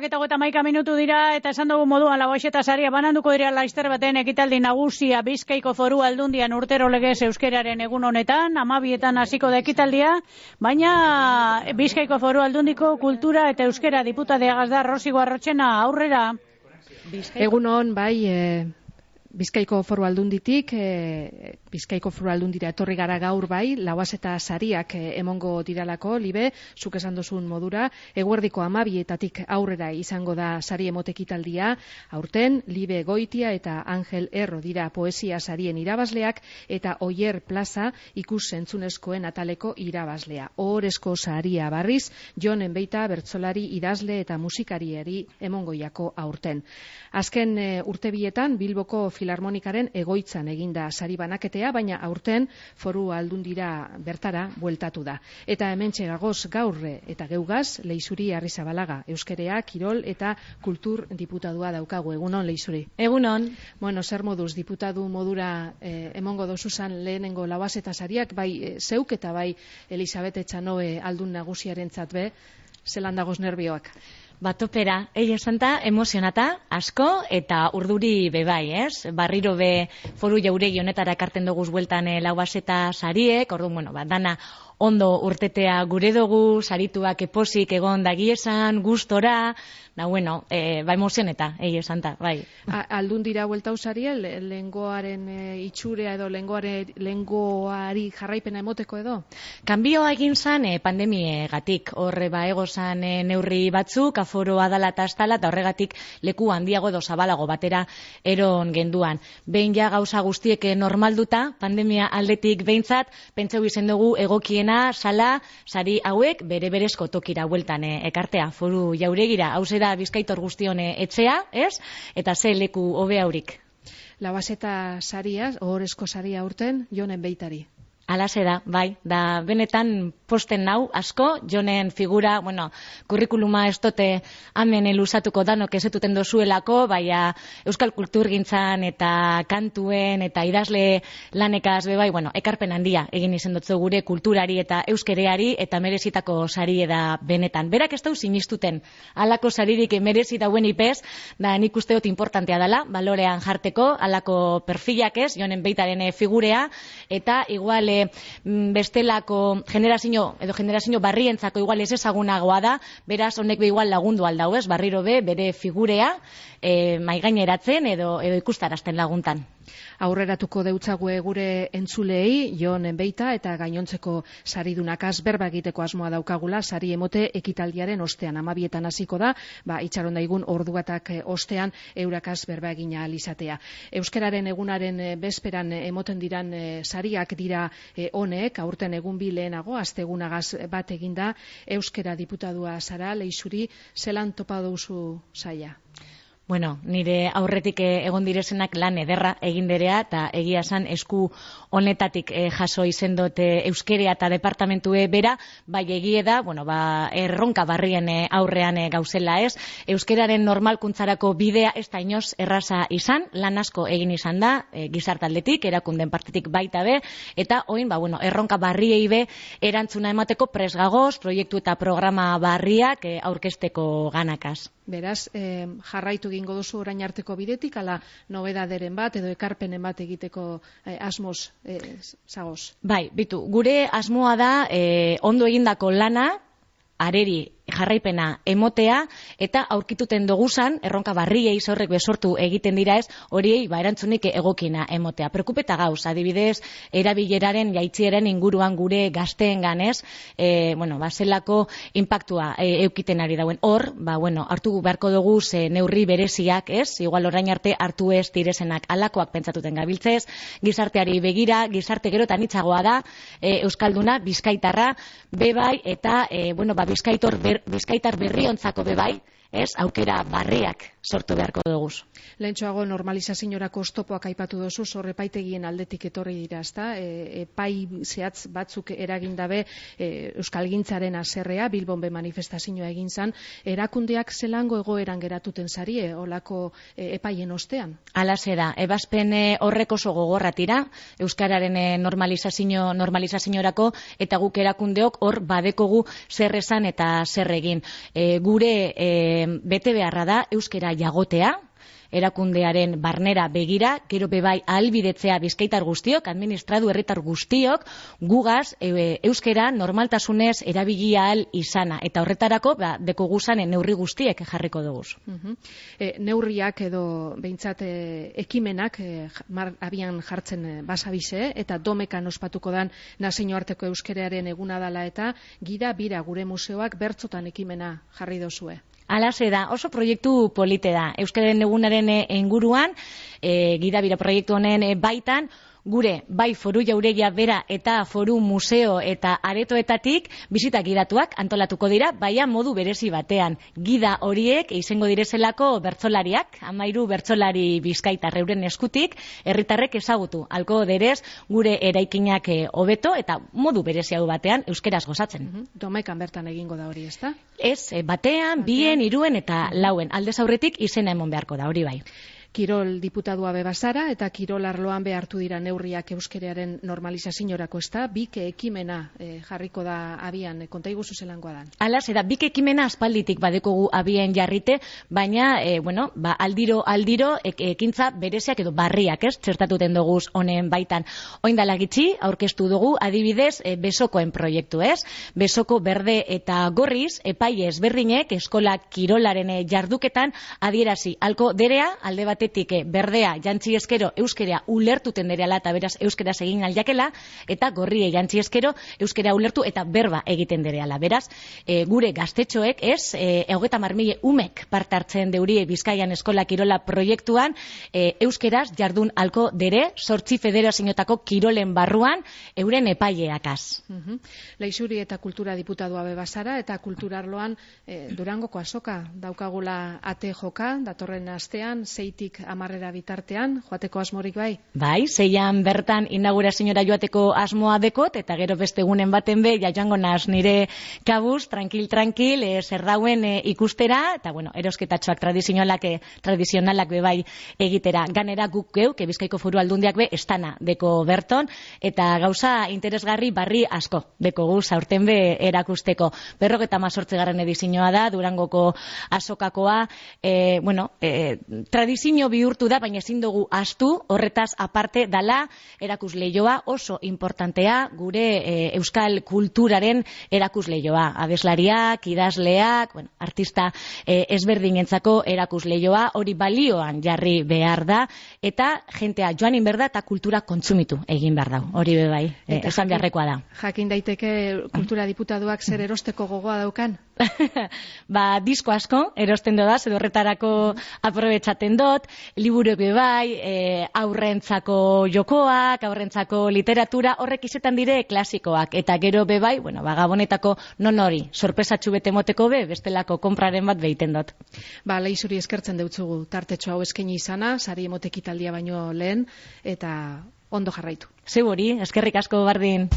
11:21 dira, eta esan dugu moduan Lauaxeta saria bananduko dira laster baten ekitaldi nagusia Bizkaiko Foru Aldundian urtero legez euskeraren egun honetan, 12etan hasiko da ekitaldia, baina Bizkaiko Foru Aldundiko kultura eta euskera diputadeagaz da Rosi Guarrotxena aurrera. Egun hon, bai, Bizkaiko Foru Aldunditik, Bizkaiko Foru Aldundira etorri gara gaur bai, Lauaxeta sariak emongo diralako, Libe, zuk esan duzun modura, eguerdiko 12etatik aurrera izango da sari emotekitaldia, aurten, Libe Goitia eta Angel Erro dira poesia sarien irabazleak, eta Oier Plaza ikus entzunezkoen ataleko irabazlea. Ohorezko saria barriz, Jon Enbeita bertsolari idazle eta musikariari emongoiako aurten. Azken urtebietan, Bilboko Filarmonikaren egoitzan eginda sari banaketea, baina aurten Foru Aldundira bertara bueltatu da. Eta hementxe gagoz gaur eta geugaz, Leixuri Arrizabalaga, euskerea, kirol eta kultur diputadua daukagu. Egunon, Leixuri. Egunon. Bueno, zer moduz diputadu modura emongo dozuzan lehenengo Lauaxeta sariak, bai zeuk eta bai Elisabet Etxanoe aldun nagusiarentzat be, zelan dagoz nerbioak? Batopera, esanta, emozionata, asko, eta urduri bebai, ez? Barriro be Foru Jauregi honetara ekarten doguz bueltan Lauaxeta sariek, orduan, bueno, dana ondo urtetea gure dugu, sarituak eposik egon dagiesan, gustora, bueno, ba emozioneta, esanta, bai. Aldundira bueltau sarie, lengoaren itxurea edo lengoari jarraipena emoteko edo? Kanbioa egin zan pandemiegatik, horre ba egozan neurri batzuk, aforoa dala eta astala, eta horregatik leku handiago edo zabalago batera eron genduan. Behin ja gauza guztiek normalduta, pandemia aldetik behintzat, pentsau izen dugu egokiena, sala, sari hauek, bere-berezko tokira bueltan ekartea, Foru Jauregira, hau da Bizkaitor guztion etxea, ez? Eta ze leku hobe haurik. Lauaxeta saria, ohorezko saria urten, Jon Enbeitari. Alaxe da, bai, da benetan posten nau asko, Jonen figura, bueno, kurrikuluma ez dote hemen luzatuko danok ezetuten dozuelako, baina euskal kulturgintzan eta kantuen eta idazle lanekaz bai, bueno, ekarpen handia egin izen dutzu gure kulturari eta euskereari eta merezitako sari da benetan. Berak ez dau sinistuten, halako saririk merezi dauen ipez, da nik uste dut importantea dela, balorean jarteko, halako perfilak ez, Jonen Beitaren figurea, eta igual bestelako generazio barrientzako igual ez ezagunagoa da, beraz honek be igual lagundu aldau, ez? Barriro be bere figurea maigaineratzen edo ikustarazten laguntan. Aurreratuko deutzague gure entzulei, Jon Enbeita eta gainontzeko saridunakaz berba egiteko asmoa daukagula, sari emote ekitaldiaren ostean, 12etan hasiko da, itxaron daigun orduatak ostean eurakaz berba egina alizatea. Euskararen egunaren bezperan emoten diran sariak dira honek, aurten egun bi lehenago, astegunagaz bat eginda, euskera diputadua zara, Leixuri, zelan topa duzu saia? Bueno, nire aurretik egon direzenak lan ederra egin derea, eta egia esan esku honetatik jaso izen dut euskerea eta departamentue bera, bai egie da, bueno, erronka barrien aurrean gauzela ez, euskeraren normalkuntzarako bidea ez da inoz erraza izan, lan asko egin izan da, gizartaldetik, erakunden partetik baita be, eta oin, erronka barriei be, erantzuna emateko presgagoz, proiektu eta programa barriak aurkezteko ganakaz. Beraz, jarraitu egingo duzu orain arteko bidetik, ala nobedaderen bat edo ekarpenen bat egiteko asmoz zagoz? Bai, bitu, gure asmoa da ondo egindako lana, areri jarraipena emotea, eta aurkituten doguzan, erronka barriei zorrek besortu egiten dira ez, horiei erantzunik egokina emotea. Preokupeta gauz, adibidez, erabileraren jaitzieren inguruan gure gazteen ganez, zelako impactua eukiten ari dauen. Hor, hartu beharko dugu neurri bereziak ez, igual orain arte hartu ez direzenak alakoak pentsatuten gabiltzez, gizarteari begira, gizarte gero eta nitzagoa da, euskalduna, bizkaitarra, bebai, eta, bizkaitar berriontzako bebai, ez, aukera barriak sortu beharko duguz. Lehentxoago normalizaziorako oztopoak aipatu dozu, epaitegieen aldetik etorri dira, ezta? Epai zehatz batzuk eragindabe euskalgintzaren haserrea, Bilbon be manifestazioa egin zan, erakundeak zelango egoeran geratuten zarie, olako epaien ostean? Alaxe da, ebazpen horrek oso gogorratira, euskararen normalizaziorako, eta guk erakundeok hor badekogu zer esan eta zer egin. Gure bete beharra da euskera jagotea, erakundearen barnera begira, gero bebai ahalbidetzea bizkaitar guztiok, administradu herritar guztiok, gugaz euskera normaltasunez erabili ahal izana. Eta horretarako, deko guzanen neurri guztiek jarriko dugu. Neurriak edo behintzat ekimenak abian jartzen basabize, eta domekan ospatuko dan nazioarteko euskeraren eguna dala eta gida bira gure museoak bertzotan ekimena jarri dozue. Alase da, oso proiektu polite da. Euskararen egunaren inguruan, gidabira proiektu honen baitan, gure bai foru jauregia bera eta foru museo eta aretoetatik bisita gidatuak antolatuko dira, baina modu berezi batean. Gida horiek izango direzelako bertsolariak, 13 bertsolari bizkaitar euren eskutik, herritarrek ezagutu alko derez gure eraikinak hobeto eta modu berezi hau batean euskeraz gozatzen. Domekan bertan egingo da hori, ezta? Ez, batean, bien, hiruen eta lauen. Aldez aurretik izena emon beharko da, hori bai. Kirol diputadua bebazara eta kirol arloan behartu dira neurriak euskeraren normalizaziorako, ezta? Bik ekimena jarriko da abian, konta iguzu zelangoa dan. Hala, zera, bik ekimena aspalditik badekogu abian jarrite, baina, aldiro ekintza bereziak edo barriak, ez? Txertatuten dugu honen baitan. Oindala gitxi, aurkeztu dugu, adibidez, besokoen proiektu, ez? Besoko berde eta gorriz, epai ezberdinek eskola kirolaren jarduketan adierazi alko derea, alde batetik berdea jantzi eskero euskera ulertuten dereala eta beraz euskeraz egin aljakela, eta gorrie jantzi eskero euskera ulertu eta berba egiten dereala. Beraz, gure gaztetxoek, ez, 30.000 umek parte hartzen deurie Bizkaian eskola kirola proiektuan, euskeraz jardun alko dere, 8 federazioetako kirolen barruan, euren epaileakaz. Leixuri eta kultura diputadua bebazara, eta kulturarloan Durangoko azoka daukagula ate joka, datorren astean, 6 amarrera bitartean, joateko asmorik bai? Bai, 6an bertan inaugurazioa joateko asmoa dekot, eta gero beste egunen baten be, joango naz nire kabuz, tranquil, zer dauen ikustera, eta bueno, erosketatxoak tradizionalak be bai egitera. Ganera guk geuk, Bizkaiko Foru Aldundiak be, estana deko berton, eta gauza interesgarri barri asko deko guz, aurten be erakusteko. 58. edizioa da, Durangoko azokakoa, tradizio bihurtu da, baina ezin dugu astu, horretaz aparte dala erakusleioa oso importantea, gure euskal kulturaren erakusleioa. Abeslariak, idazleak, artista ezberdinentzako erakusleioa, hori balioan jarri behar da, eta jentea joanin behar da eta kultura kontsumitu egin behar da. Hori bebai, esan beharrekoa da. Jakin daiteke kultura diputaduak zer erosteko gogoa daukan? Disko asko erosten doda, edo horretarako aprobetxaten dut, liburu bebai, aurrentzako jokoak, aurrentzako literatura, horrek izetan dire klasikoak, eta gero bebai, gabonetako non hori, sorpresatxu bete moteko be, bestelako konpraren bat behiten dut. Leixuri eskertzen deutzugu, tartetxo hau eskaini izana, sari emotekitaldia baino lehen, eta ondo jarraitu. Zeu hori, eskerrik asko bardin.